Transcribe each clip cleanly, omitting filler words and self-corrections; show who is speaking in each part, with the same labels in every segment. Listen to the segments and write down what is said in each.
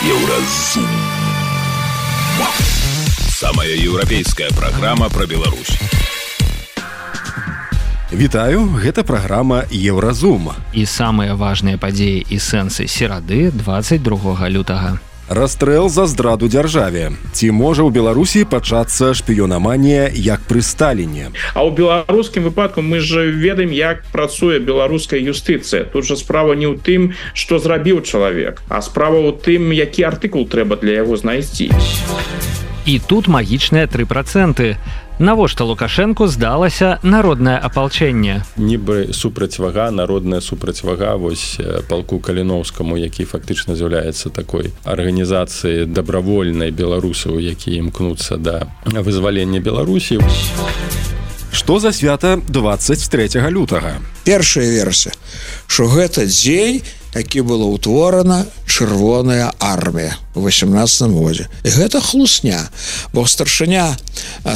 Speaker 1: Еўразум. Самая еўрапейская праграма пра Беларусь.
Speaker 2: Вітаю, гэта праграма Еўразум.
Speaker 3: І самыя важныя падзеі і сэнсы серады 22 лютага.
Speaker 2: Расстрэл за здраду дзяржаве. Ці можа ў Беларусі пачацца шпіёнаманія як пры Сталіне?
Speaker 4: А ў беларускім выпадку мы ж ведаем, як працуе беларуская юстыцыя. Тут жа справа не ў тым, што зрабіў чалавек, а справа ў тым, які артыкул трэба для яго знайсці.
Speaker 3: І тут магічныя 3%. Навошта Лукашэнку здалася народнае апалчэнне?
Speaker 5: Нібы супрацьвага, народная супрацьвага вось палку Каліноўскаму, які фактычна з'яўляецца такой арганізацыяй дабравольнай беларусаў, якія імкнуцца да вызвалення Беларусі.
Speaker 2: Што за свята 23 лютага?
Speaker 6: Першая версія, што гэта дзень, які была ўтворана Чырвоная армія ў 18 годзе. І гэта хлусня, бо старшыня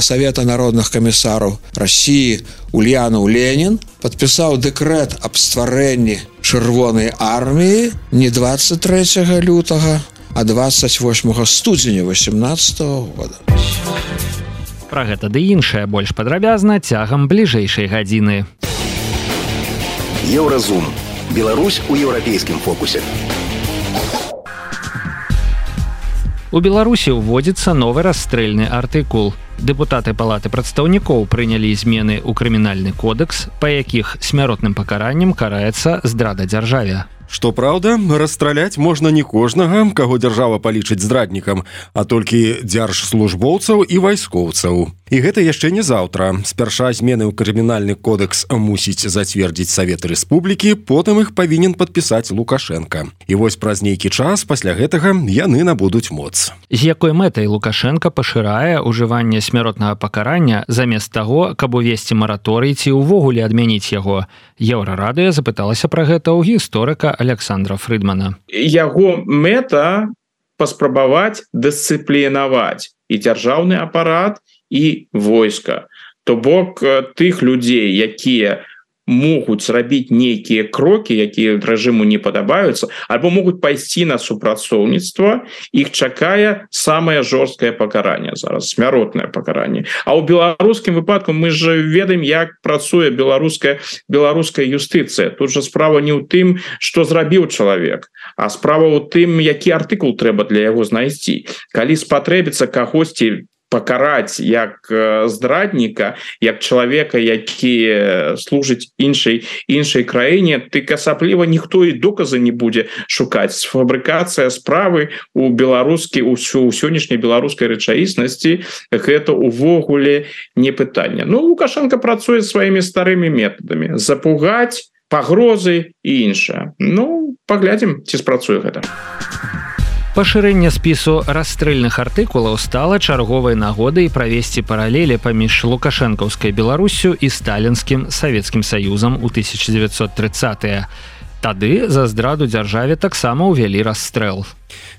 Speaker 6: Савета народных камісараў Расіі Ульянаў Ленін падпісаў дэкрэт аб стварэнні Чырвонай арміі не 23 лютага, а 28 студзеня 18 года.
Speaker 3: Пра гэта ды іншае больш падрабязна цягам бліжэйшай гадзіны.
Speaker 1: Еўразум. Беларусь у еўрапейскім фокусе.
Speaker 3: У Беларусі ўводзіцца новы расстрэльны артыкул. Дэпутаты палаты прадстаўнікоў прынялі змены ў крымінальны кодекс, па якіх смяротным пакараннем караецца здрада дзяржаве.
Speaker 2: Што праўда, расстраляць можна не кожнага, каго дзяржава палічыць здраднікам, а толькі дзяржслужбоўцаў і вайскоўцаў. І гэта яшчэ не заўтра. Спярша змены ў крымінальны кодекс мусіць зацвердзіць Савет Рэспублікі, потым іх павінен падпісаць Лукашенка. І вось праз нейкі час пасля гэтага яны набудуць моц.
Speaker 3: З якой мэтай Лукашенка пашырае ўжыванне смяротнага пакарання замест таго, каб увесці мараторый ці ўвогуле адмяніць яго? Еўрарадыё запыталася пра гэта ў гісторыка Александра Фрыдмана.
Speaker 4: Яго мэта паспрабаваць дысцыплінаваць і дзяржаўны апарат, і войска. То бок тых людзей, якія могуць зрабіць нейкія крокі, якія рэжыму не падабаюцца, альбо могуць пайсці на супрацоўніцтва, іх чакае самае жорсткае пакаранне зараз, смяротнае пакаранне. А ў беларускім выпадку мы ж ведаем, як працуе беларуская юстыцыя. Тут жа справа не ў тым, што зрабіў чалавек, а справа ў тым, які артыкул трэба для яго знайсці. Калі спатрэбіцца кагосьці пакараць як здрадніка, як чалавека, які служыць іншай краіне, тык асабліва ніхто і доказы не будзе шукаць. Фабрыкацыя справы у сённяшняй беларускай рэчаіснасці гэта увогуле не пытанне. Лукашенко працуе сваімі старымі метадамі. Запугаць, пагрозы і іншае. Паглядзім, ці спрацуе гэта.
Speaker 3: Пашырэнне спісу расстрэльных артыкулаў стала чарговай нагодай правесці паралелі паміж лукашэнкаўскай Беларуссю і сталінскім Савецкім Саюзам у 1930-е. Тады за здраду дзяржаве таксама ўвялі расстрэл.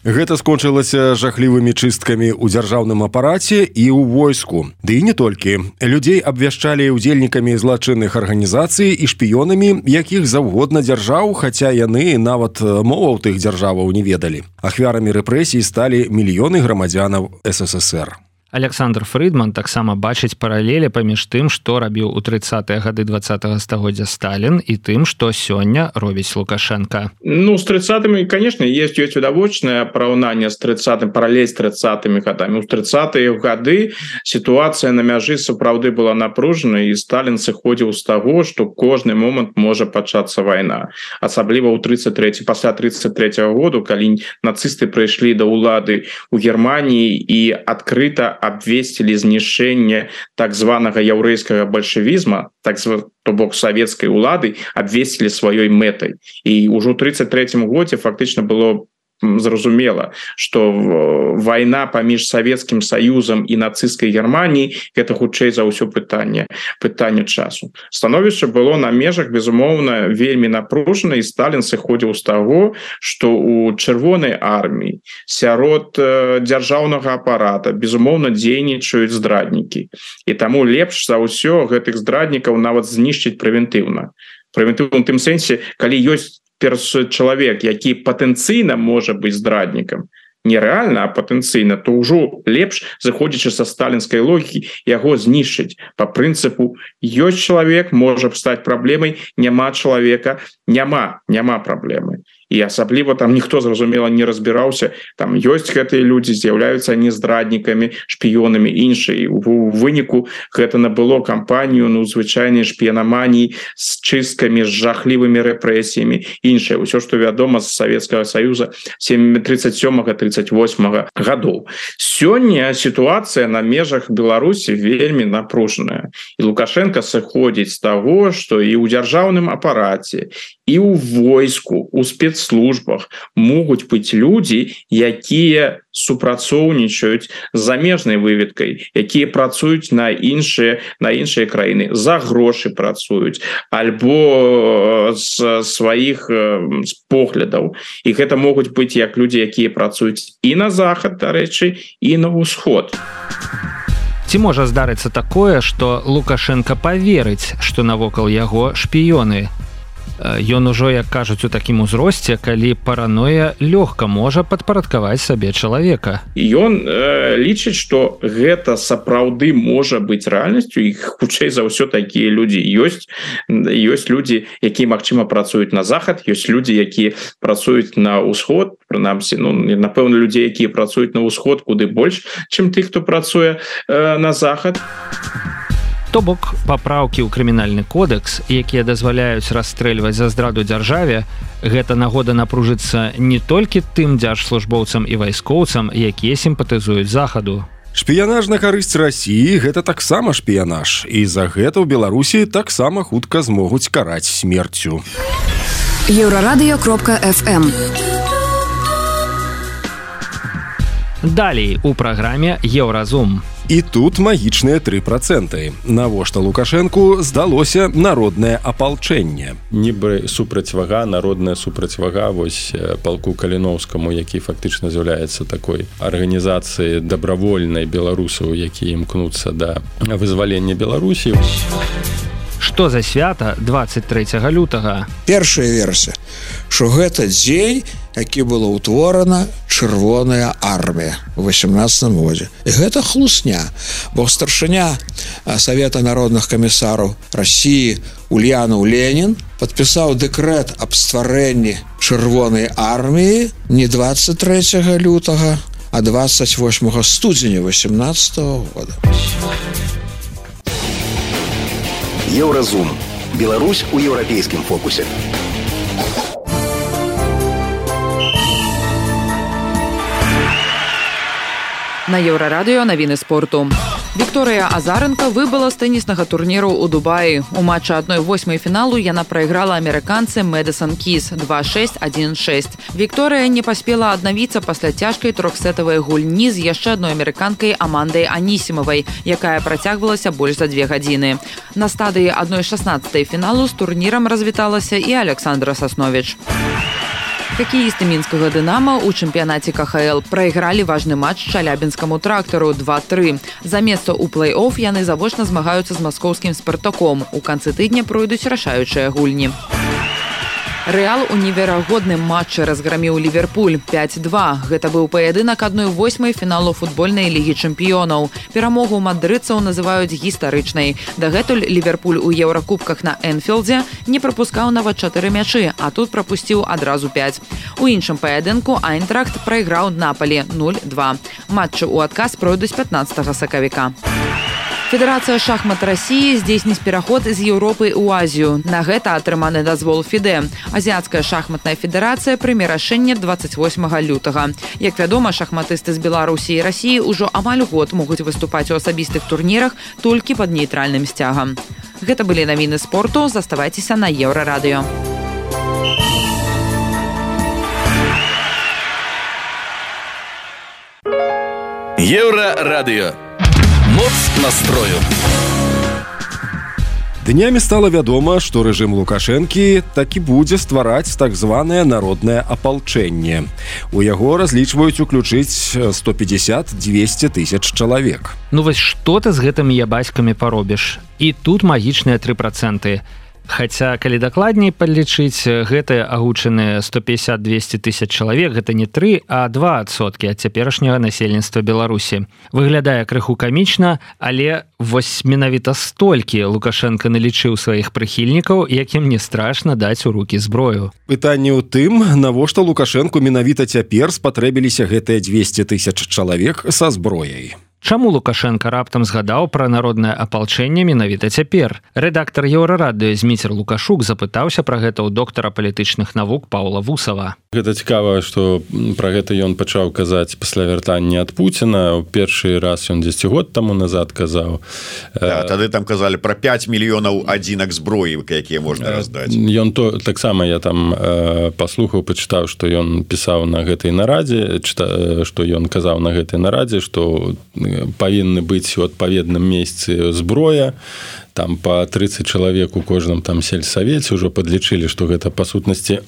Speaker 2: Гэта скончылася жахлівымі чысткамі ў дзяржаўным апараце і ў войску. Ды і не толькі. Людзей абвяшчалі ўдзельнікамі злачынных арганізацый і шпіёнамі якіх заўгодна дзяржаў, хаця яны нават моваў тых дзяржаваў не ведалі. Ахвярамі рэпрэсій сталі мільёны грамадзянаў СССР.
Speaker 3: Александр Фрыдман таксама бачыць паралелі паміж тым, што рабіў у 30-е гады 20-го стагоддзя Сталін і тым, што сёння робіць Лукашенко.
Speaker 4: З 30-ми, конечно, есть відавочнае параўнанне з 30-м, паралель з 30-ми гадамі. У 30-е гады сітуацыя на мяжы сапраўды была напружанай, і Сталін сыходзіў з таго, што кожны момант можа пачацца вайна. Асабліва пасля 33-го году, калі нацысты прыйшлі да ўлады ў Германіі і адкрыта абвесцілі знішчэнне так званага яўрэйскага бальшавізма, то бок савецкай улады, абвесцілі сваёй мэтай. І ўжо ў 33-м годзе фактычна было зразумела, што вайна паміж Савецкім Саюзам і нацысцкай Германіяй гэта хутчэй за ўсё пытанне часу. Становішча было на межах, безумоўна, вельмі напружана, і Сталін сыходзіў з таго, што у Чырвонай арміі сярод дзяржаўнага апарата безумоўна дзейнічаюць здраднікі. І таму лепш за ўсё гэтых здраднікаў нават знішчыць прэвентыўна. Прэвентыўна ў тым сэнсе, калі ёсць чалавек, які патэнцыйна можа быць здраднікам, нереальна, а патэнцыйна, то ўжо лепш, заходзячы са сталінскай логікі, яго знішчыць по прынцыпу ёсць чалавек, можа стаць праблемай, няма чалавека, няма праблемы. І асабліва там ніхто, зразумела, не разбіраўся, там ёсць гэтыя людзі, з'яўляюцца они здраднікамі, шпіёнамі, іншай. У выніку гэта набыло кампанію, звычайнай шпіянаманіі з чысткамі, з жахлівымі рэпрэсіямі, іншае. Усё, што вядома з Савецкага Саюза 37-38 гадоў. Сёння сітуацыя на межах Беларусі вельмі напружаная. І Лукашенко сыходзіць з таго, што і ў дзяржаўным апараце, і ў войску, у спецслужбах могуць быць людзі, якія супрацоўнічаюць з замежнай выведкай, якія працуюць на іншыя краіны, за грошы працуюць, альбо з сваіх поглядаў. І гэта могуць быць як людзі, якія працуюць і на захад, дарэчы, і на ўсход.
Speaker 3: Ці можа здарыцца такое, што Лукашенко паверыць, што навокал яго шпіёны? Ён ужо, як кажуць, у такім узросце, калі параноя лёгка можа падпарадкаваць сабе чалавека.
Speaker 4: Ён лічыць, што гэта сапраўды можа быць рэальнасцю, і хутчэй за ўсё такія людзі ёсць. Ёсць людзі, якія, магчыма, працуюць на захад, ёсць людзі, якія працуюць на ўсход, прынамсі, напэўна, людзей, якія працуюць на ўсход куды больш, чым тых, хто працуе на захад.
Speaker 3: То бок, папраўкі ў крымінальны кодэкс, якія дазваляюць расстрэльваць за здраду дзяржаве, гэта нагода напружыцца не толькі тым дзяржслужбоўцам і вайскоўцам, якія сімпатызуюць захаду.
Speaker 2: Шпіянаж на карысць Расіі – гэта таксама шпіянаж, і за гэта ў Беларусі таксама хутка змогуць караць смерцю.
Speaker 7: Еўрарадыё.фм.
Speaker 3: Далей у праграме «Еўразум».
Speaker 2: І тут магічныя 3%. Навошта Лукашэнку здалося народнае апалчэнне.
Speaker 5: Нібы супрацьвага, народная супрацьвага вось палку Каліноўскаму, які фактычна з'яўляецца такой арганізацыяй дабравольнай беларусаў, якія імкнуцца да вызвалення Беларусі.
Speaker 3: Што за свята 23 лютага?
Speaker 6: Першая версія, што гэта дзень, які была ўтворана чырвоная армія ў 18 годзе. І гэта хлусня, бо старшыня Савета народных камісараў Расіі Ульянаў Ленін падпісаў дэкрэт аб стварэнні чырвонай арміі не 23 лютага, а 28 студзеня 18 года.
Speaker 1: Еўразум. Беларусь у еўрапейскім фокусе.
Speaker 7: На Еўрарадыё навіны спорту. Вікторыя Азаренка выбыла з тэніснага турніру ў Дубаі. У матчы 1/8 фіналу яна прайграла амерыканцы Мэдысон Кіс 2-6, 1-6. Вікторыя не паспела аднавіцца пасля цяжкай трохсетавай гульні з яшчэ адной амерыканкай Амандай Анісімавай, якая працягвалася больш за 2 гадзіны. На стадыі 1/16 фіналу з турнірам развіталася і Александра Сасновіч. Хакеісты мінскага «Дынама» ў чэмпіянаце КХЛ прайгралі важны матч Чалябінскаму трактару 2-3. За месца ў плэй-оф яны завочна змагаюцца з маскоўскім «Спартаком». У канцы тыдня пройдуць рашаючыя гульні. Рэал у неверагодным матчы разграміў Ліверпуль 5-2. Гэта быў паядынак 1/8 фіналу футбольнай лігі чэмпіёнаў. Перамогу мадрыдцаў называюць гістарычнай. Дагэтуль Ліверпуль у еўракубках на Энфілдзе не прапускаў нават 4 мячы, а тут прапусціў адразу 5. У іншым паядынку Айнтрахт прайграў Напалі 0-2. Матчы ў адказ пройдуць 15 сакавіка. Федэрацыя шахмат Расіі здзейсніць пераход з Еўропы ў Азію. На гэта атрыманы дазвол ФІДЭ. Азіяцкая шахматная федэрацыя прыме рашэнне 28 лютага. Як вядома, шахматысты з Беларусі і Расіі ўжо амаль год могуць выступаць у асабістых турнірах толькі пад нейтральным сцягам. Гэта былі навіны спорту. Заставайцеся на Еўрарадыё.
Speaker 1: Еўрарадыё. Моц настрою.
Speaker 2: Днямі стала вядома, што рэжым Лукашэнкі такі будзе ствараць так званае народнае апалчэнне. У яго разлічваюць уключыць 150-200 тысяч чалавек.
Speaker 3: Ну вось што ты з гэтымі ябаськамі паробіш? І тут магічныя 3%. Хаця калі дакладней падлічыць, гэтыя агучаныя 150-200 тысяч чалавек гэта не 3, а 2% ад цяперашняга насельніцтва Беларусі. Выглядае крыху камічна, але вось менавіта столькі Лукашенко налічыў сваіх прыхільнікаў, якім не страшна даць у рукі зброю.
Speaker 2: Пытанне ў тым, навошта Лукашенку менавіта цяпер спатрэбіліся гэтыя 200 тысяч чалавек са зброяй.
Speaker 3: Чаму Лукашенко раптам згадаў пра народнае апалчэнне менавіта цяпер? Рэдактар Еўрарадыё Зміцер Лукашук запытаўся пра гэта ў доктара палітычных навук Паўла Вусава.
Speaker 5: Гэта цікава, што пра гэта ён пачаў казаць пасля вяртання ад Пуціна. У першы раз ён 10 год таму назад казаў.
Speaker 8: Тады там казалі пра 5 мільёнаў адзінак зброі, якія можна раздаць.
Speaker 5: Ён таксама я там паслухаў, пачытаў, што ён пісаў на гэтай нарадзе, што ён казаў на гэтай нарадзе, што павінны быць у адпаведным месцы зброя, там по 30 чалавек у кожным там сельсавеце ўжо падлічылі, што гэта па сутнасці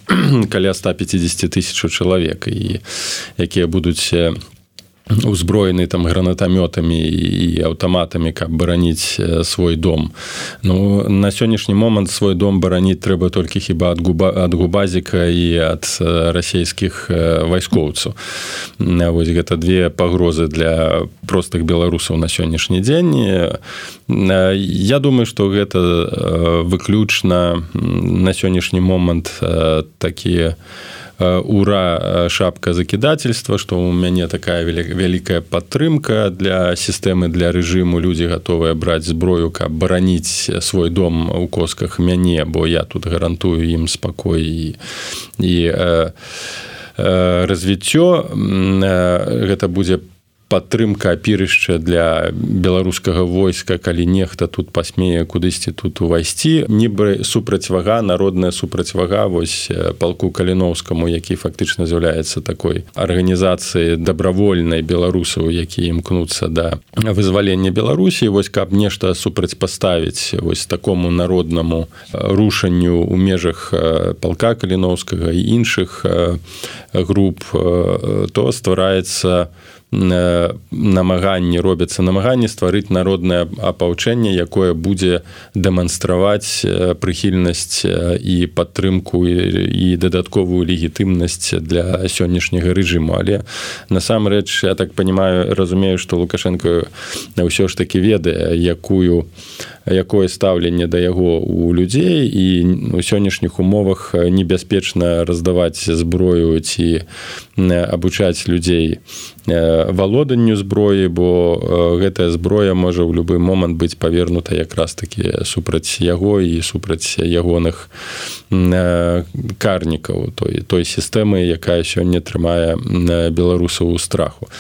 Speaker 5: каля 150 тысяч чалавек, і якія будуць узброены там гранатамётамі і аўтаматамі, каб бараніць свой дом. Ну, на сённяшні момант свой дом бараніць трэба толькі хіба ад губазіка і ад расійскіх вайскоўцаў. Вось гэта две пагрозы для простых беларусаў на сённяшні дзень. Я думаю, што гэта выключна на сённяшні момант такія ура шапка закідательства, што у мяне такая вялікая падтрымка для сістэмы, для рэжыму. Людзі гатовыя браць зброю, каб бараніць свой дом у косках мяне, бо я тут гарантую ім спакой і развіццё. Гэта будзе падтрымка, апірышча для беларускага войска, калі нехта тут пасмее кудысьці тут увайсці. Нібы супрацьвага, народная супрацьвага вось палку Каліноўскаму, які фактычна з'яўляецца такой арганізацыяй дабравольнай беларусаў, якія імкнуцца да вызвалення Беларусі. Вось каб нешта супрацьпаставіць вось такому народнаму рушанню ў межах палка Каліноўскага і іншых груп, то ствараецца робяцца намаганні стварыць народнае апалчэнне, якое будзе дэманстраваць прыхільнасць і падтрымку і дадатковую легітымнасць для сённяшняга рэжыму. Але насамрэч, я так разумею, што Лукашенко ўсё ж такі ведае, якое стаўленне да яго у людзей, і у сённяшніх умовах небяспечна раздаваць зброю ці абучаць людзей валоданню зброі, бо гэтая зброя можа ў любы момант быць павернута якраз такі супраць яго і супраць ягоных карнікаў, той сістэмы, якая сёння трымае беларусаў у страху.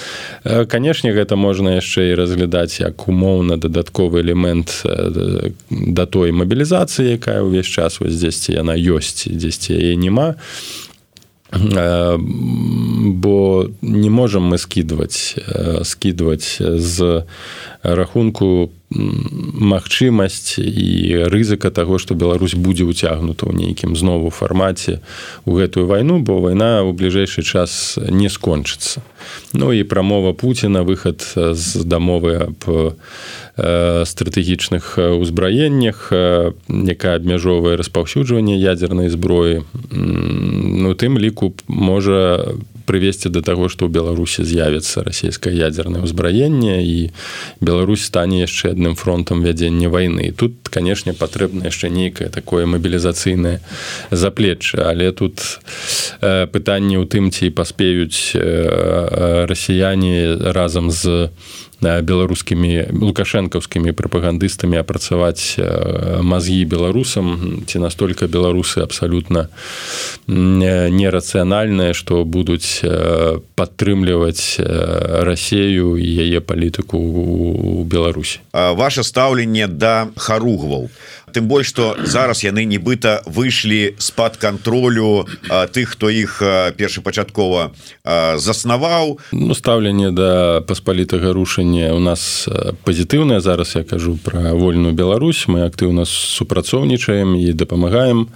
Speaker 5: Канешне, гэта можна яшчэ і разглядаць як умоўна дадатковы элемент да той мабілізацыі, якая ўвесь час вось дзесьці яна ёсць, дзесьці яе няма. Бо не можам мы скідваць з рахунку магчымасць і рызыка таго, што Беларусь будзе ўцягнута ў нейкім знову фармаце ў гэтую вайну, бо вайна ў бліжэйшы час не скончыцца. Ну і прамова Пуціна, выхад з дамовы аб стратэгічных узбраеннях, якая абмяжоўвае распаўсюджванне ядзернай зброі, ну, тым ліку можа прывесці да таго, што ў Беларусі з'явіцца расійскае ядзернае ўзбраенне і Беларусь стане яшчэ адным фронтам вядзення вайны. Тут, канешне, патрэбна яшчэ нейкае такое мабілізацыйнае заплечча, але тут пытанне ў тым, ці паспеюць расіяне разам з беларускімі лукашэнкаўскімі прапагандыстамі апрацаваць мазгі беларусам, ці настолькі беларусы абсалютна нерацыянальныя, што будуць падтрымліваць Расею і яе палітыку ў Беларусі.
Speaker 8: Ваше стаўленне да харугваў, тым больш, што зараз яны нібыта выйшлі з-пад кантролю тых, хто іх першапачаткова заснаваў.
Speaker 5: Ну, стаўленне да паспалітага рушання у нас пазітыўнае. Зараз я кажу пра вольную Беларусь. Мы актыўна супрацоўнічаем і дапамагаем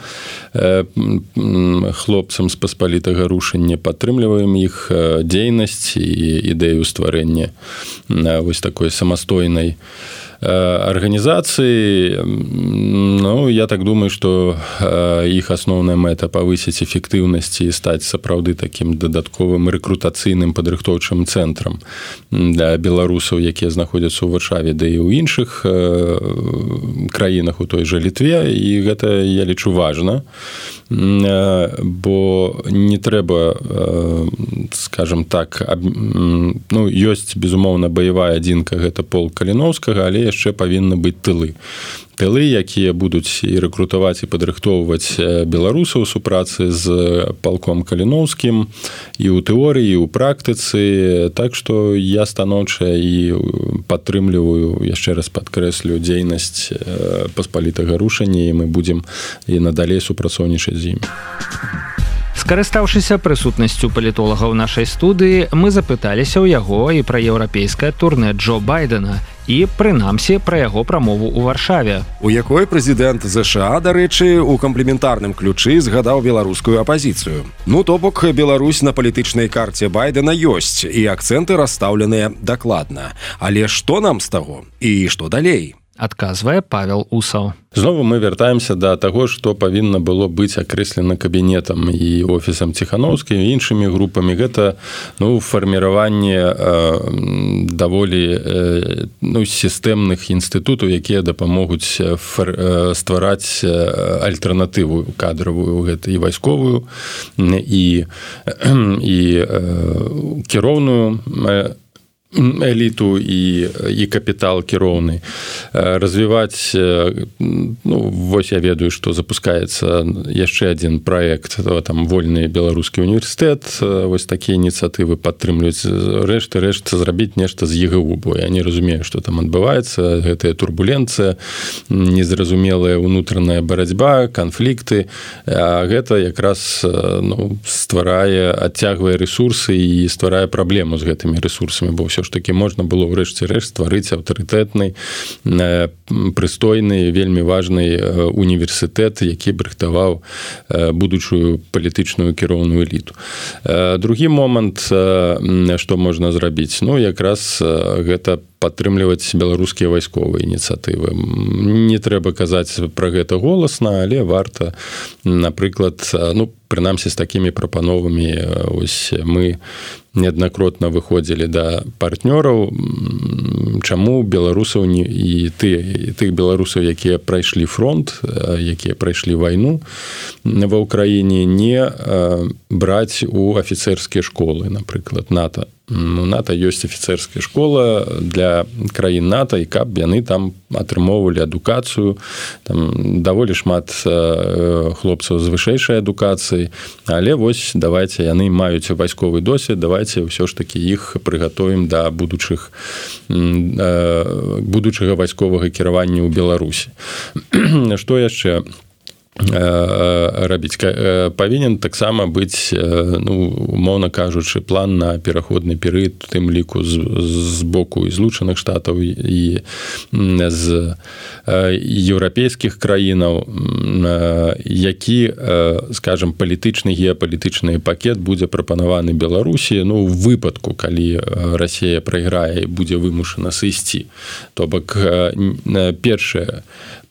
Speaker 5: хлопцам з паспалітага рушання, падтрымліваем іх дзейнасць і ідэю стварэння вось такой самастойнай арганізацыі, ну, я так думаю, што іх асноўная мэта павысіць эфектыўнасць і стаць сапраўды такім дадатковым рэкрутацыйным падрыхтоўчым цэнтрам для беларусаў, якія знаходзяцца ў Варшаве, да і ў іншых краінах, у той жа Літве, і гэта, я лічу, важна, бо не трэба, скажем так, ну, ёсць, безумоўна, баявая адзінка, гэта полк Каліноўскага, але яшчэ павінны быць тылы, якія будуць і рэкрутаваць і падрыхтоўваць беларусаў у супрацы з палком Каліноўскім і ў тэорыі, і ў практыцы. Так што я станоўча і падтрымліваю, яшчэ раз падкрэслю, дзейнасць паспалітага рушання, і мы будзем і надалей супрацоўнічаць з імі.
Speaker 3: Скарыстаўшыся прысутнасцю палітолага ў нашай студыі, мы запыталіся ў яго і пра еўрапейскае турнэ Джо Байдена, і, прынамсі, пра яго прамову ў Варшаве.
Speaker 2: У якой прэзідэнт ЗША, дарэчы, у камплементарным ключы згадаў беларускую апазіцыю. Ну, то бок, Беларусь на палітычнай карце Байдена ёсць, і акцэнты расстаўленыя дакладна. Але што нам з таго? І што далей?
Speaker 3: Адказвае Павел Усаў.
Speaker 5: Знову мы вяртаемся да таго, што павінна было быць акрэслена кабінетам і офісам Ціханаўскім і іншымі групамі. Гэта, ну, фарміраванне даволі, ну, сістэмных інстытутаў, якія дапамогуць ствараць альтэрнатыву кадравую, гэта і вайсковую, і кіроўную эліту і капітал кіроўны, развіваць, ну, вось я ведаю, што запускаецца яшчэ адзін праект, там вольны беларускі універсітэт, вось такія ініцыятывы падтрымліваюць, рэшт зрабіць нешта з ЕГУ, бо я не разумею, што там адбываецца, гэтая турбуленцыя, незразумелая ўнутраная барацьба, канфлікты, а гэта якраз, ну, стварае, адцягвае рэсурсы і стварае праблему з гэтымі рэсурсамі, бо ўсё ж таки можна было ўрэшце-рэшт стварыць аўтарытэтны, прыстойны, вельмі важны універсітэт, які б рыхтаваў будучую палітычную кіроўную эліту. Другі момант, што можна зрабіць, ну, якраз гэта падтрымліваць беларускія вайсковыя ініцыятывы. Не трэба казаць пра гэта голасна, але варта, напрыклад, ну, прынамсі з такімі прапановамі, ось мы неаднакротна выходзілі да партнёраў, чаму беларусаў і тых беларусаў, якія прайшлі фронт, якія прайшлі вайну ва ўкраіне, не браць у афіцэрскія школы, напрыклад, НАТО. У НАТО ёсць афіцэрская школа для краін НАТО, і каб яны там атрымоўвалі адукацыю, там даволі шмат хлопцаў з вышэйшай адукацыі, але вось давайце, яны маюць вайсковы досвед, давайце ўсё ж такі іх прыгатуем да будучага вайсковага кіравання ў Беларусі. Што яшчэ рабіць? Павінен таксама быць, ну, умоўна кажучы, план на пераходны перыяд, у тым ліку з боку і Злучаных Штатаў і з еўрапейскіх краінаў, які, скажем, палітычны, геапалітычны пакет будзе прапанаваны Беларусі, ну, у выпадку, калі Расія прайграе і будзе вымушана сысці. То бок, першае,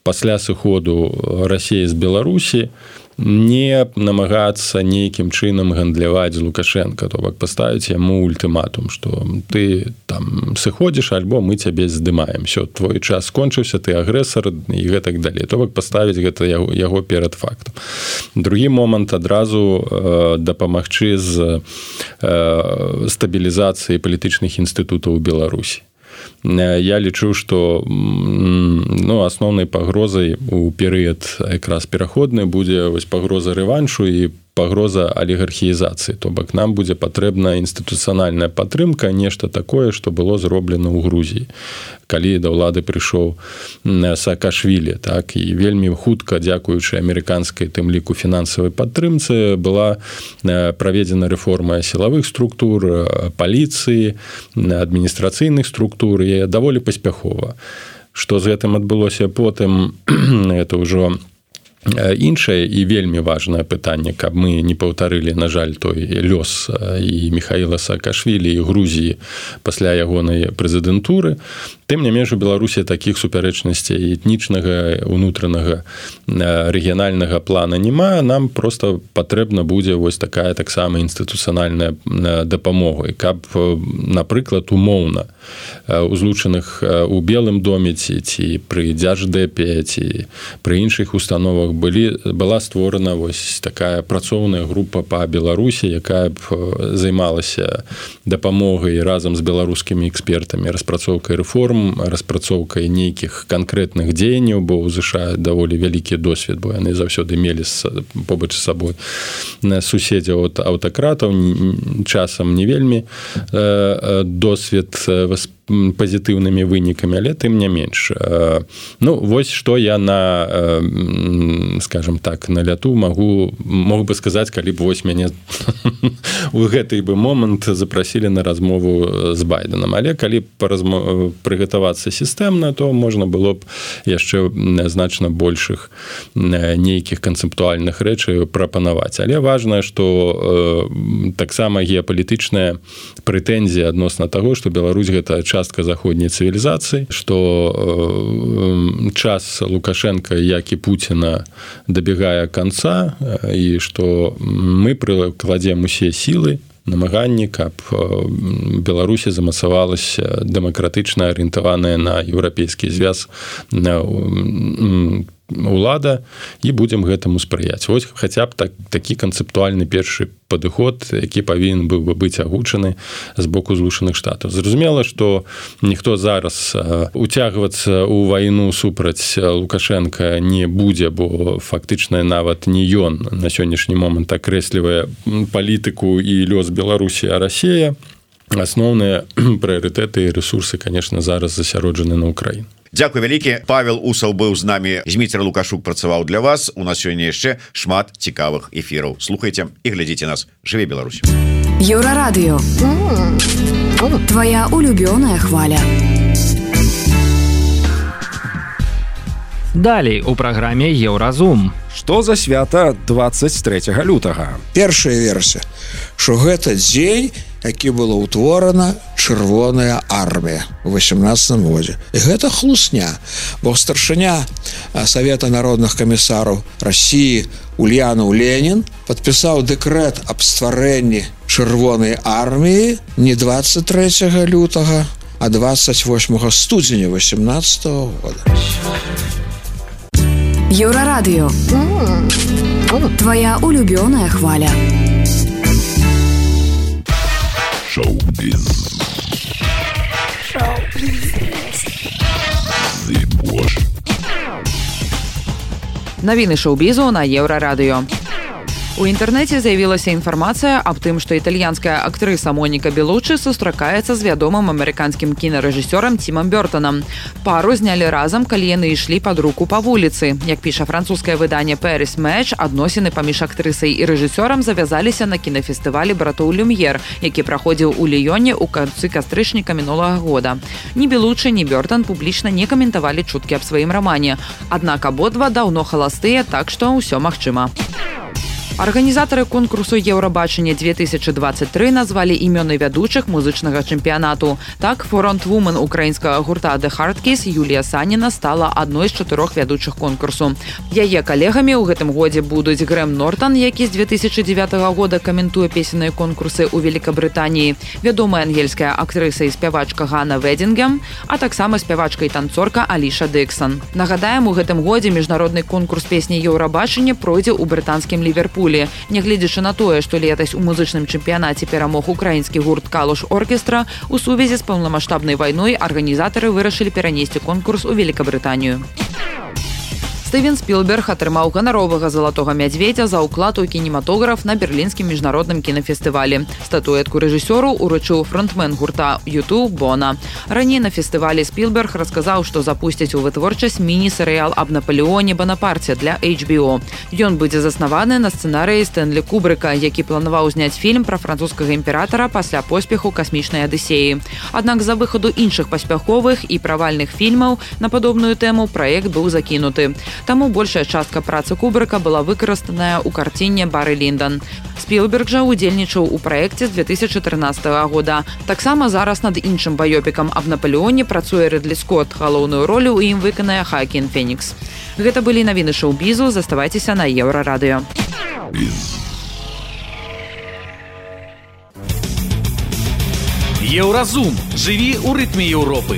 Speaker 5: пасля сыходу Расіі з Беларусі не намагацца нейкім чынам гандляваць з Лукашенко, то бок паставіць яму ультыматум, што ты там сыходзіш, альбо мы цябе здымаем, всё, твой час скончыўся, ты агрэсар і гэтак далей. То бок паставіць гэта яго перад фактам. Другі момант, адразу дапамагчы з стабілізацыі палітычных інстытутаў у Беларусі. Я лічу, што, ну, асноўнай пагрозай у перыяд якраз пераходны будзе вось пагроза рэваншу і пагроза алігархіізацыі. То бок нам будзе патрэбна інстытуцыянальная падтрымка, нешта такое, што было зроблена ў Грузіі, калі да ўлады прыйшоў Саакашвілі, так, і вельмі хутка, дзякуючы амерыканскай, тым ліку, фінансавай падтрымцы, была праведзена рэформа сілавых структур, паліцыі, адміністрацыйных структур, і даволі паспяхова. Што з гэтым адбылося потым, это ўжо іншае і вельмі важнае пытанне, каб мы не паўтарылі, на жаль, той лёс і Михаіла Саакашвілі і Грузіі пасля ягонай прэзідэнтуры. Тым не менш, у Беларусі такіх супярэчнасцей этнічнага, унутранага, рэгіянальнага плана няма. Нам проста патрэбна будзе вось такая таксама інстытуцыянальная дапамога. І каб, напрыклад, умоўна у злучаных у Белым доме ці пры Дзярждэпе ці пры іншых установах была створана вось такая працоўная група па Беларусі, якая б займалася дапамогай разам з беларускімі экспертамі, распрацоўкай рэформ, распрацоўкай нейкіх канкрэтных дзеянняў, бо ў ЗША даволі вялікі досвед, бо яны заўсёды мелі побач з сабой суседзяў ад аўтакратаў, часам не вельмі досвед пазітыўнымі вынікамі, але тым не менш. Ну, вось што я скажем так, на ляту мог бы сказаць, калі б вось мяне у гэты бы момант запрасілі на размову з Байденам. Але калі прыгатавацца сістэмна, то можна было б яшчэ значна большых нейкіх канцэптуальных рэчаў прапанаваць. Але важна, што таксама геапалітычная прэтэнзія адносна таго, што Беларусь гэта частка заходняй цывілізацыі, што час Лукашенка, як і Пуціна, дабягае канца, і што мы прыкладзем усе сілы, намаганні, каб Беларусі замацавалася дэмакратычна арыентаваная на еўрапейскі звяз улада, і будзем гэтаму спрыяць. Вось хаця б такі канцэптуальны першы падыход, які павінен быў бы быць агучаны з боку Злучаных Штатаў. Зразумела, што ніхто зараз уцягвацца ў вайну супраць Лукашенка не будзе, бо фактычна нават не ён на сённяшні момант акрэслівае палітыку і лёс Беларусі, а Расія. Асноўныя прыярытэты і рэсурсы, конечно, зараз засяроджаны на Украіну.
Speaker 8: Дзякуй вялікі. Павел Усаў быў з намі, Зміцер Лукашук працаваў для вас. У нас сёння яшчэ шмат цікавых эфіраў. Слухайце і глядзіце нас. Жыве Беларусь.
Speaker 9: Еўрарадыё. Твоя улюбёная хваля.
Speaker 3: Далей у праграме Еўразум.
Speaker 2: Што за свята 23 лютага?
Speaker 6: Першая версія, што гэта дзень, які была ўтворана Чырвоная армія ў 18 годзе. І гэта хлусня, бо старшыня Савета народных камісараў Расіі Ульянаў Ленін падпісаў дэкрэт аб стварэнні Чырвонай арміі не 23 лютага, а 28 студзеня 18 года.
Speaker 9: Еўрарадыё. Твоя улюбёная хваля.
Speaker 10: Шоу-біз.
Speaker 7: Навіны шоу-бізу на Еўрарадыё. У інтэрнэце з'явілася інфармацыя аб тым, што італьянская актрыса Моніка Белуччы сустракаецца з вядомым амерыканскім кінарэжысёрам Тімам Бёртанам. Пару знялі разам, калі яны ішлі пад руку па вуліцы. Як піша французскае выданне Paris Match, адносіны паміж актрысай і рэжысёрам завязаліся на кінафестывалі братоў Люм'ер, які праходзіў у Ліёне ў канцы кастрычніка мінулага года. Ні Белуччы, ні Бёртан публічна не каментавалі чуткі аб сваім рамане. Аднак абодва даўно халастыя, так што ўсё магчыма. Арганізатары конкурсу Еўрабачання 2023 назвалі імёны вядучых музычнага чэмпіянату. Так, фронтвумен украінскага гурта The Hardkiss Юлія Саніна стала адной з 4 вядучых конкурсу. Яе калегамі ў гэтым годзе будуць Грэм Нортан, які з 2009 года каментуе песенныя конкурсы ў Великабрытаніі, вядомая ангельская актрыса і спявачка Ганна Ведзінгем, а таксама спявачка і танцорка Аліша Дыксон. Нагадаем, у гэтым годзе міжнародны конкурс песні Еўрабачання пройдзе ў брытанскім Ліверпулі. Нягледзячы на тое, што летась у музычным чэмпіянаце перамог украінскі гурт Калуш оркестра, у сувязі з паўнамаштабнай вайной арганізатары вырашылі перанесці конкурс у Великабрытанію. Стывен Спілберг атрымаў ганаровага залатога мядзведзя за ўклад у кінематограф на берлінскім міжнародным кінафестывалі. Статуэтку рэжысёру уручыў фронтмен гурта U2 Бона. Раней на фестывалі Спілберг расказаў, што запусцяць у вытворчасць міні-серыял аб Напалеоне Банапарце для HBO. Ён будзе заснаваны на сцэнарыі Стэнлі Кубрыка, які планаваў зняць фільм пра французскага імператара пасля поспеху касмічнай адысеі. Аднак з-за выхаду іншых паспяховых і правальных фільмаў на падобную тэму праект быў закінуты. таму большая частка працы Кубрыка была выкарыстаная ў карціне «Бары Ліндон». Спілберг жа удзельнічаў у праекце з 2013 года. Таксама зараз над іншым баёпікам аб Наполеоне працуе Рыдлі Скотт. Галоўную ролю ў ім выканае Хаакін Фенікс. Гэта былі навіны шоу-бізу. Заставайцеся на Еўрарадыё.
Speaker 1: Еўразум. Жыві ў рытме Еўропы.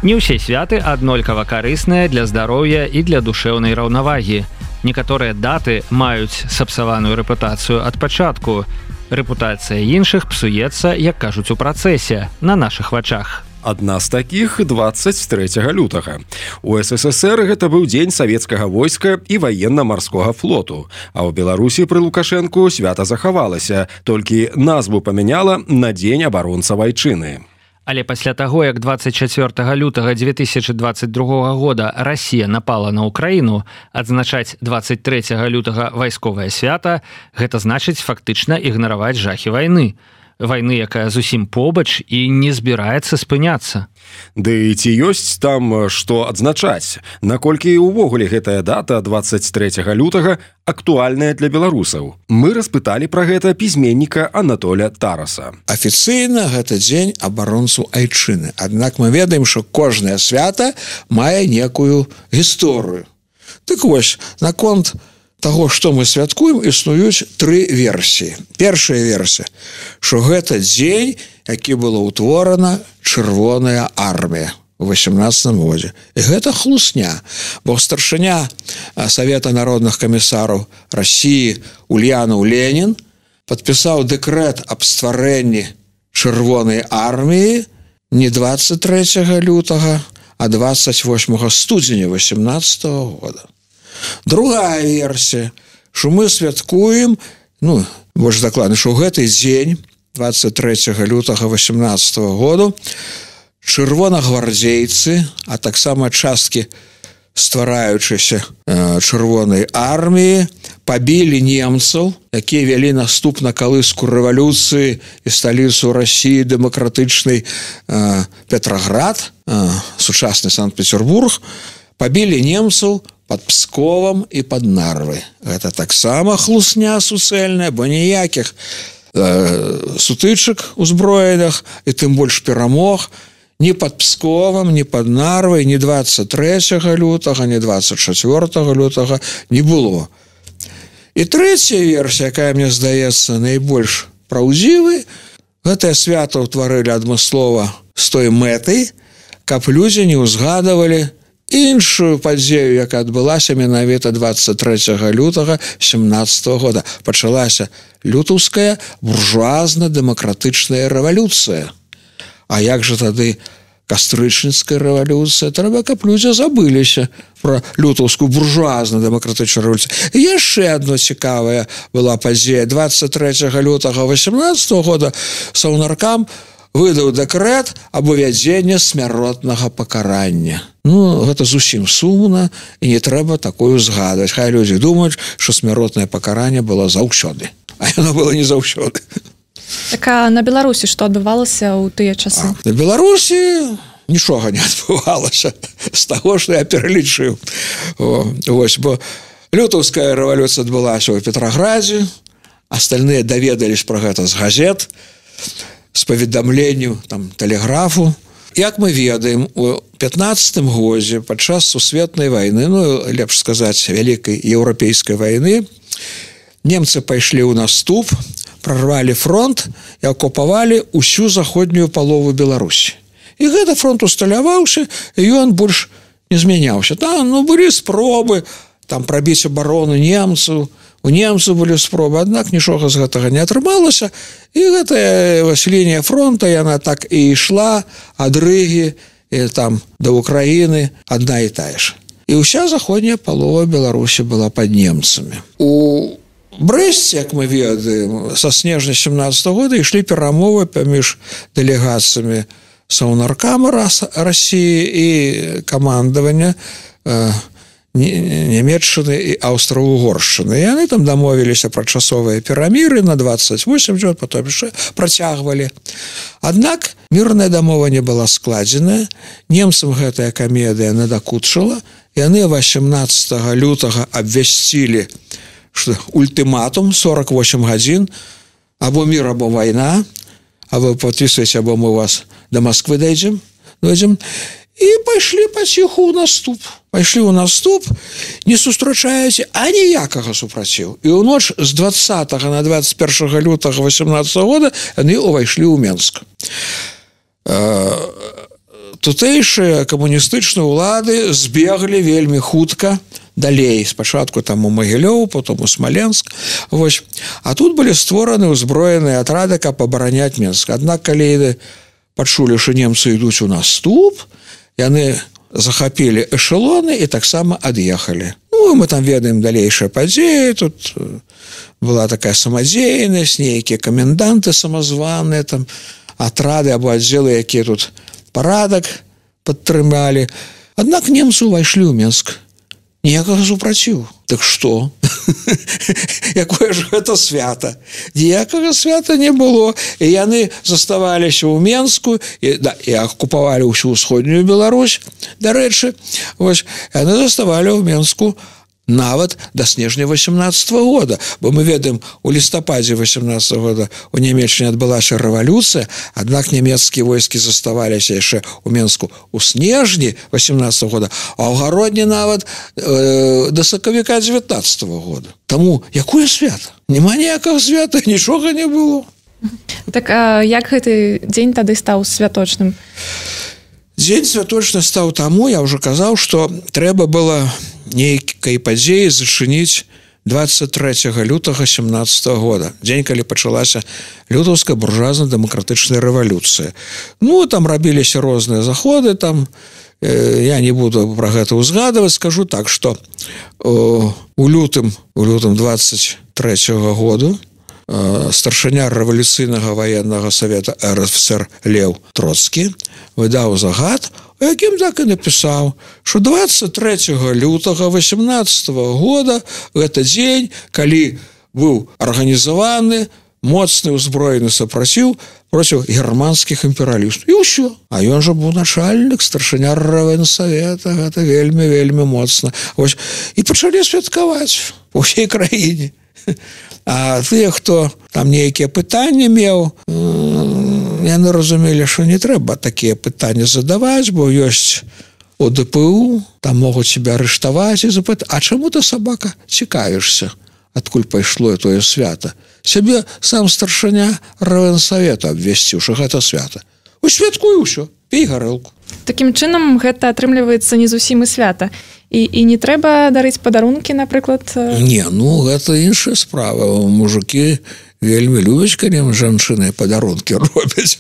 Speaker 3: Не ўсе святы аднолькава карысныя для здароўя і для душэўнай раўнавагі. Некаторыя даты маюць сапсаваную рэпутацыю ад пачатку. Рэпутацыя іншых псуецца, як кажуць у працэсе, на нашых вачах.
Speaker 2: Адна з такіх 23 лютага. У СССР гэта быў дзень савецкага войска і ваенна-марскога флоту. А ў Беларусі пры Лукашэнку свята захавалася, толькі назву памяняла на дзень абаронца вайчыны.
Speaker 3: Але пасля таго, як 24 лютага 2022 года Расія напала на Украіну, адзначаць 23 лютага вайсковае свята, гэта значыць фактычна ігнараваць жахі вайны. Вайны, якая зусім побач і не збіраецца спыняцца.
Speaker 2: Ды ці ёсць там што адзначаць? Наколькі ўвогуле гэтая дата 23 лютага актуальная для беларусаў? Мы распыталі пра гэта пісьменніка Анатоля Тараса.
Speaker 6: Афіцыйна гэта дзень абаронцу айчыны. Аднак мы ведаем, што кожнае свята мае некую гісторыю. Так вось, наконт таго, што мы святкуем, існуюць тры версіі. Першая версія, што гэта дзень, які была ўтворана Чырвоная армія у 18 годзе. І гэта хлусня, бо старшыня Савета народных камісараў Расіі Ульянаў Ленін падпісаў дэкрэт аб стварэнні Чырвонай арміі не 23 лютага, а 28 студзеня 18 года. Другая версія, што мы святкуем, больш дакладна, што ў гэты дзень 23 лютага 18 году чырвонагвардзейцы, а таксама часткі ствараючыся Чырвонай арміі пабілі немцаў, якія вялі наступна калыску рэвалюцыі і сталіцу Расіі дэмакратычнай Петраград, сучасны Санкт-Петербург, пабілі немцаў пад Псковам і пад Нарвай. Гэта таксама хлусня суцэльная, бо ніякіх сутычак узброеных і тым больш перамог ні пад Псковам, ні пад Нарвай, ні 23 лютага, ні 24 лютага не было. І трэцяя версія, якая, мне здаецца, найбольш праўдзівай, гэтае свята ўтварылі адмыслова з той мэтай, каб людзі не ўзгадавалі іншую падзею, якая адбылася менавіта 23 лютага 17 года. Пачалася лютаўская буржуазна-дэмакратычная рэвалюцыя. А як жа тады кастрычніцкая рэвалюцыя? Трэба, каб людзі забыліся пра лютаўскую буржуазна-дэмакратычную рэвалюцыю. І яшчэ адно цікавая была падзея. 23 лютага 18 года Саўнаркам выдаў дэкрэт аб увядзенні смяротнага пакарання. Гэта зусім сумна, і не трэба такое згадваць. Хай людзі думаюць, што смяротнае пакаранне было заўсёды. А яно было не заўсёды.
Speaker 10: Так а на Беларусі што адбывалася ў тыя часы?
Speaker 6: На Беларусі нічога не адбывалася з таго, што я пералічыў. Вось, бо лютаўская рэвалюцыя адбылася ў Петраградзе, астальныя даведались пра гэта з газет, з паведамленню тэлеграфу. Як мы ведаем, у 15 годзе падчас сусветнай вайны, лепш сказаць, вялікай еўрапейскай вайны, немцы пайшлі ў наступ, прорвалі фронт і акупавалі ўсю заходнюю палову Беларусі. І гэты фронт усталяваўся, і ён больш не змяняўся. Там былі спробы прабіць абарону немцаў, у немцаў былі спробы, аднак нічога з гэтага не атрымалася, і гэтая лінія фронта, яна так і ішла ад Рыгі да Украіны адна і тая ж. І ўся заходняя палова Беларусі была пад немцамі. У Брэсце, як мы ведаем, са снежня 17 года ішлі перамовы паміж дэлегацыямі Саўнаркама Расіі і камандавання Нямецчыны і Аўстра-Угоршчыны. Яны там дамовіліся пра часовыя пераміры на 28 год, потом яшчэ працягвалі. Аднак мірная дамова не была складзеная. Немцам гэтая камедыя надакучыла. Яны 18 лютага абвясцілі ультыматум 48 гадзін, або мір, або вайна, а вы подписываете, або мы вас до Москвы дойдем. И пайшлі паціху ў наступ. Пайшлі ў наступ, не сустрачаеце аніякага супраціў. І ў ноч з 20 на 21 лютага 18 года яны увайшлі ў Менск. Тутэйшыя камуністычныя ўлады збеглі вельмі хутка далей. Спачатку там у Магілёў, потом у Смоленск. Вось. А тут былі створаны ўзброеныя атрады, каб абараняць Менск. Аднак, калі пачулі, што немцы ідуць у наступ, яны захапілі эшелоны і таксама ад'ехалі. Ну, мы там ведаем далейшыя падзеі, тут была такая самадзейнасць, нейкія каменданты самазваныя, там атрады або аддзелы, якія тут парадак падтрымалі. Аднак немцы ўвайшлі ў Менск. Ніякага супраціву. Так што? Якое ж гэта свята? Ніякага свята не было. І яны заставаліся ў Менску і акупавалі ўсю ўсходнюю Беларусь, дарэчы. Вось, яны заставалі ў Менску нават да снежня 18 года. Бо мы ведаем, у лістападзе 18 года у Нямецчыне адбылася рэвалюцыя, аднак нямецкія войскі заставаліся яшчэ ў Менску у снежні 18 года, а ў гародні нават да сакавіка 19 года. Таму якое свята? Няма ніякага свята, нічога не было.
Speaker 10: Так а як гэты дзень тады стаў святочным?
Speaker 6: Дзень святочны стаў таму, я ўжо казаў, што трэба было нейкай падзеі зачыніць 23 лютага 17 года. Дзень, калі пачалася лютаўская буржуазна-дэмакратычная рэвалюцыя. Ну, там рабіліся розныя заходы, там я не буду пра гэта ўзгадваць, скажу так, што у лютым 23 году старшыня рэвалюцыйнага ваеннага савета РСФСР Леў Троцкі выдаў загад, у якім так і напісаў, што 23 лютага 18 года гэта дзень, калі быў арганізаваны моцны ўзброены супраціў проціў германскіх імперыялістаў. І ўсё. А ён жа быў начальнік, старшыня рэвенсавета, гэта вельмі моцна. Вось. І пачалі святкаваць у ўсёй краіне. А тыя, хто там нейкія пытанні меў, яны разумелі, што не трэба такія пытанні задаваць, бо ёсць ОДПУ, там могуць себе арыштаваць і запытаць, а чаму ты, сабака, цікавішся, адкуль пайшло тое свята? Сябе сам старшыня рэвенсавета абвясціў, што гэта свята. Усвяткуй усё, пей гарэлку.
Speaker 10: Такім чынам гэта атрымліваецца не зусім і свята. І не трэба дарыць падарункі, напрыклад?
Speaker 6: Не, ну гэта іншая справа. Мужыкі вельмі любяць, калі жанчыны падарункі робяць.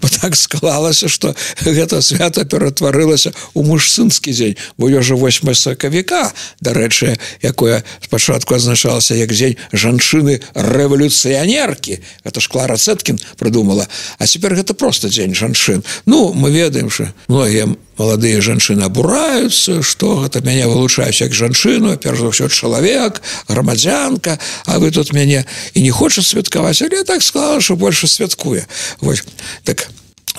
Speaker 6: Бо так склалася, што гэта свята ператварылася ў мужчынскі дзень. Бо ёжа 8 сакавіка, дарэчы, якое спачатку азначалася як дзень жанчыны-рэвалюцыянеркі. Гэта ж Клара Цэткін прыдумала. А цяпер гэта проста дзень жанчын. Ну, мы ведаем, што многія маладыя жанчыны абураюцца, што гэта мяне вылучаюць як жанчыну, перш за ўсё чалавек, грамадзянка, а вы тут мяне і не хоча святкаваць, але так склала, што больше святкуе. Вось. Так,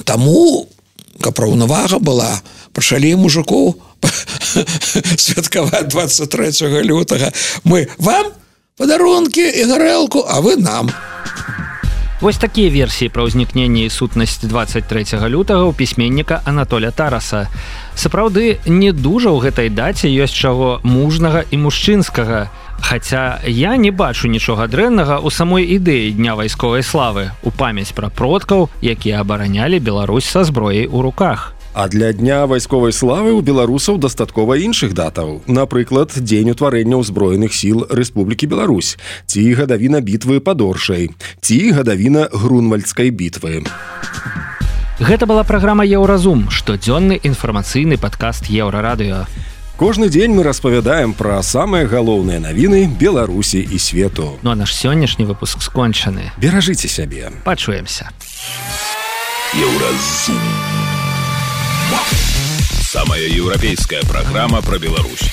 Speaker 6: таму, каб раўнавага была, пачалі мужикоў святкаваць 23 лютага. Мы вам падарункі і гарэлку, а вы нам.
Speaker 3: Вось такія версіі пра ўзнікненне і сутнасць 23 лютага ў пісьменніка Анатоля Тараса. Сапраўды, не дужа ў гэтай даце ёсць чаго мужнага і мужчынскага. Хаця я не бачу нічога дрэннага ў самой ідэі Дня вайсковай славы, у памяць пра продкаў, якія абаранялі Беларусь са зброяй у руках.
Speaker 2: А для Дня вайсковай славы ў беларусаў дастаткова іншых датаў. Напрыклад, дзень утварэння ўзброеных сіл Рэспублікі Беларусь, ці гадавіна бітвы пад Оршай, ці гадавіна Грунвальдскай бітвы.
Speaker 3: Гэта была праграма «Еўразум», штодзённы інфармацыйны падкаст Еўрарадыё.
Speaker 2: Кожны дзень мы распавядаем пра самыя галоўныя навіны Беларусі і свету.
Speaker 3: Ну а наш сённяшні выпуск скончаны.
Speaker 2: Беражыце сябе.
Speaker 3: Пачуемся.
Speaker 1: Еўразум. Самая европейская программа про Беларусь.